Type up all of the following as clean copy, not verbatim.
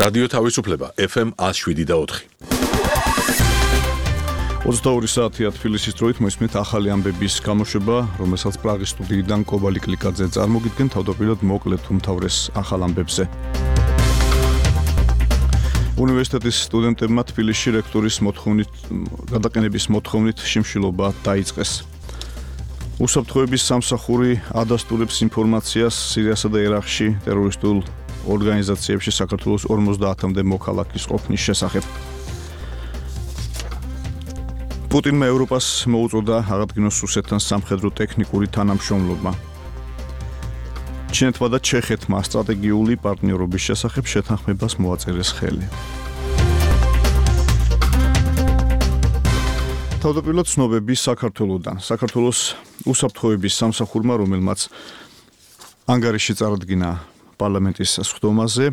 რადიო თავისუფლება FM 107.4. 22 საათია თბილისის დროით მოისმენთ ახალი ამბების გამოშვება, რომელსაც პრაღის სტუდიიდან კობალი კლიკაძე წარმოგიდგენ თავდაპირველად მოკლედ უმთავრეს ახალ ამბებზე. უნივერსიტეტის სტუდენტებმა თბილისში რექტორის გადაყენების მოთხოვნით შიმშილობა დაიწყეს. უსაფრთხოების სამსახური ადასტურებს ინფორმაციას სირიასა და ერაყში ტერორისტულ ორგანიზაციებში საქართველოს 50-მდე მოქალაქის ყოფნის შესახებ. პუტინმა ევროპას მოუწოდა აღადგინოს რუსეთთან სამხედრო ტექნიკური თანამშრომლობა. ჩინეთმა და ჩეხეთმა სტრატეგიული პარტნიორობის შესახებ შეთანხმებას მოაწერეს ხელი. თავდაპირველად ცნობები საქართველოდან. საქართველოს უსაფრთხოების სამსახურმა, რომელმაც ანგარიში წარადგინა პარლამენტის სხდომაზე,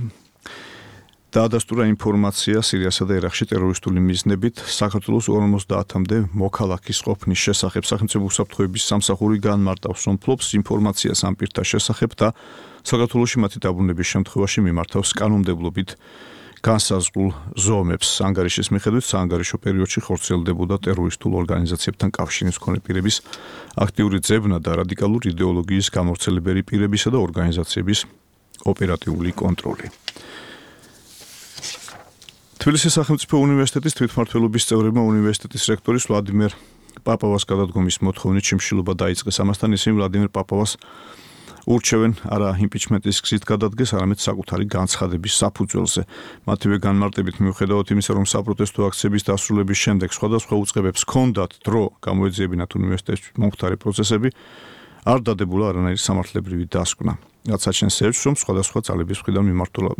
დაადასტურა ინფორმაცია სირიასა და ერაყში ტერორისტული მიზნებით საქართველოს 50-მდე მოქალაქის ყოფნის შესახებ. სახელმწიფო უსაფრთხოების სამსახური განმარტავს, რომ ფლობს ინფორმაციას ამ პირთა შესახებ და საქართველოში მათი დაბრუნების შემთხვევაში მიმართავს კანონმდებლობით განსაზღვრულ ზომებს. ანგარიშის მიხედვით საანგარიშო პერიოდში ხორციელდებოდა ტერორისტულ ორგანიზაციებთან კავშირის მქონე პირების აქტიური ძებნა და რადიკალური იდეოლოგიის გამავრცელებელი პირებისა და ორგანიზაციების ოპერატიული კონტროლი. თბილისის სახელმწიფო უნივერსიტეტის თვითმმართველობის წევრებმა უნივერსიტეტის რექტორის ვლადიმერ პაპავას გადადგომის მოთხოვნით შიმშილობა დაიწყეს. ამასთან ისინი ვლადიმერ პაპავას ურჩევენ არა იმპიჩმენტის გზით გადადგეს, არამედ საკუთარი განცხადების საფუძველზე. მათივე განმარტებით მიუხედავად იმისა, რომ საპროტესტო აქციების დასრულების შემდეგ სხვადასხვა უწყებებს ჰქონდათ დრო გამოეძიებინათ უნივერსიტეტში მომხდარი პროცესები, არ დადებულა არანაირი სამართლებრივი დასკვნა. რაც აჩენს ეჭვს, რომ სხვადასხვა ძალების მხრიდან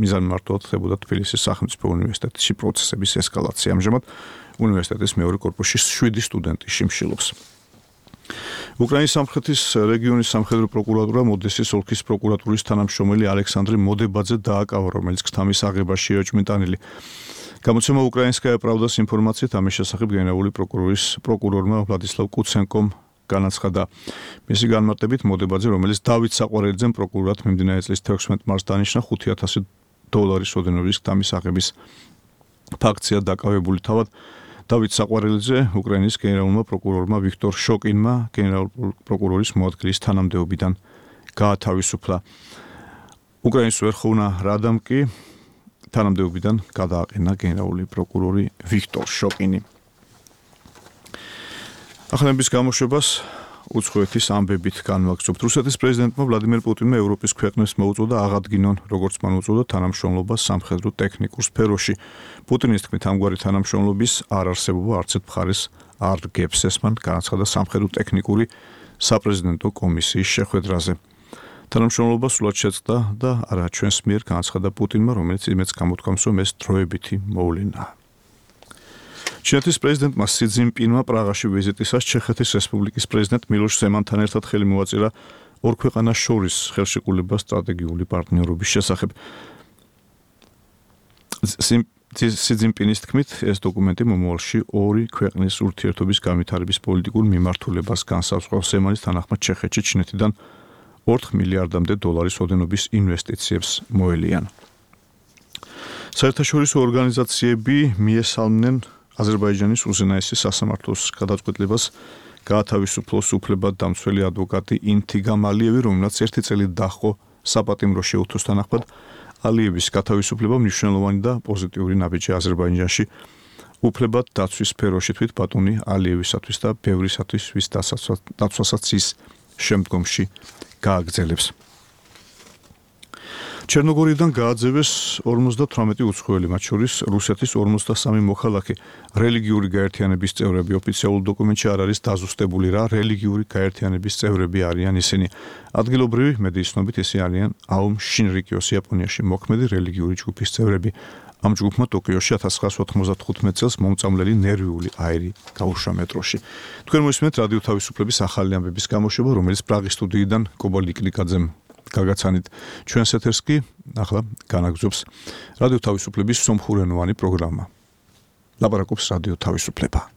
მიზანმიმართულად ხდებოდა თბილისის სახელმწიფო უნივერსიტეტში პროცესების ესკალაცია. ამჟამად უნივერსიტეტის მეორე კორპუსში 7 სტუდენტი შიმშილობს. უკრაინის სამხრეთის რეგიონის სამხედრო პროკურატურა ოდესის ოლქის პროკურატურის თანამშრომელი ალექსანდრე მოდებაძე დააკავა, რომელიც ქთამის აღებაში ეჭვმიტანილი. გამოცემა უკრაინსკაია პრავდას ინფორმაციით ამის შესახებ გენერალური პროკურორმა ვლადისლავ კუცენკომ განაცხადა. მისი განმარტებით მოდებაძე, რომელიც დავით საყვარელიძემ პროკურორად მიმდინარე წლის 16 მარტს დანიშნა, $5,000 ოდენობის ქთამის აღების ფაქტია დაკავებული. თავად დავით საყვარელიძე უკრაინის გენერალურმა პროკურორმა ვიქტორ შოკინმა გენერალურ პროკურორის მოადგილის თანამდებობიდან გაათავისუფლა. უკრაინის ვერხოვნა რადამ კი თანამდებობიდან გადააყენა გენერალური პროკურორი ვიქტორ შოკინი. ახალების გამოშვებას უცხოეთის ამბებით განვაგრძობთ. რუსეთის პრეზიდენტმა ვლადიმერ პუტინმა ევროპის ქვეყნებს მოუწოდა აღადგინონ, როგორც მან უწოდა, თანამშრომლობა სამხედრო ტექნიკურ სფეროში. პუტინის თქმით, ამგვარი თანამშრომლობის არ არსებობა არც ერთ მხარეს არ გებს. ეს მან განაცხადა სამხედრო ტექნიკური საპრეზიდენტო კომისიის შეხვედრაზე. თანამშრომლობა სულად შეწყდა და არა ჩვენს მიერ, განაცხადა პუტინმა, რომელიც იმედს გამოთქვამს, რომ ეს დროებითი მოვლენაა. ჩინეთის პრეზიდენტმა სი ძინპინმა პრაღაში ვიზიტისას ჩეხეთის რესპუბლიკის პრეზიდენტ მილოშ ზემანთან ერთად ხელი მოაწერა ორ ქვეყანას შორის ხელშეკრულებას სტრატეგიული პარტნიორობის შესახებ. სი ძინპინის თქმით, ეს დოკუმენტი მომავალში ორი ქვეყნის ურთიერთობის განვითარების პოლიტიკურ მიმართულებას განსაზღვრავს. ზემანის თანახმად ჩეხეთში ჩინეთიდან $4 მილიარდამდე ოდენობის ინვესტიციებს მოელიან. საერთაშორისო ორგანიზაციები მიესალმნენ აზერბაიჯანის უზენაესი სასამართლოს გადაწყვეტილებას გაათავისუფლოს უფლებად დამცველი ადვოკატი ინთიგამ ალიევი, რომელსაც 1 წელი დაჰყო საპატიმრო შეუთოს თანახმად. ალიევის გათავისუფლება მნიშვნელოვანი და პოზიტიური ნაბიჯია აზერბაიჯანში უფლებად დაცვის სფეროში თვით ბატონი ალიევისათვის და ბევრისათვის, ვის დაცვასაც ის შემდგომში გააგრძელებს. ჩერნოგორიიდან გააძევეს 58 უცხოელი, მათ შორის რუსეთის 53 მოქალაქე. რელიგიური გაერთიანების წევრები ოფიციალურ დოკუმენტში არ არის დაზუსტებული, რა რელიგიური გაერთიანების წევრები არიან ისინი. ადგილობრივი მედიის ცნობით ისინი არიან აომ შინრიკიოს იაპონიაში მოქმედი რელიგიური ჯგუფის წევრები. ამ ჯგუფმა ტოკიოში 1995 წელს მომწამლელი ნერვიული აირი გაუშვა მეტროში. თქვენ მოისმენთ რადიო თავისუფლების ახალი ამბების გამოშვება, რომელიც პრაღის სტუდიიდან კობალი კლიკაძემ გაგაცანით. ჩვენს ეთერს კი ახლა განაგრძობს რადიო თავისუფლების სომხურენოვანი პროგრამა. ლაპარაკობს რადიო თავისუფლება.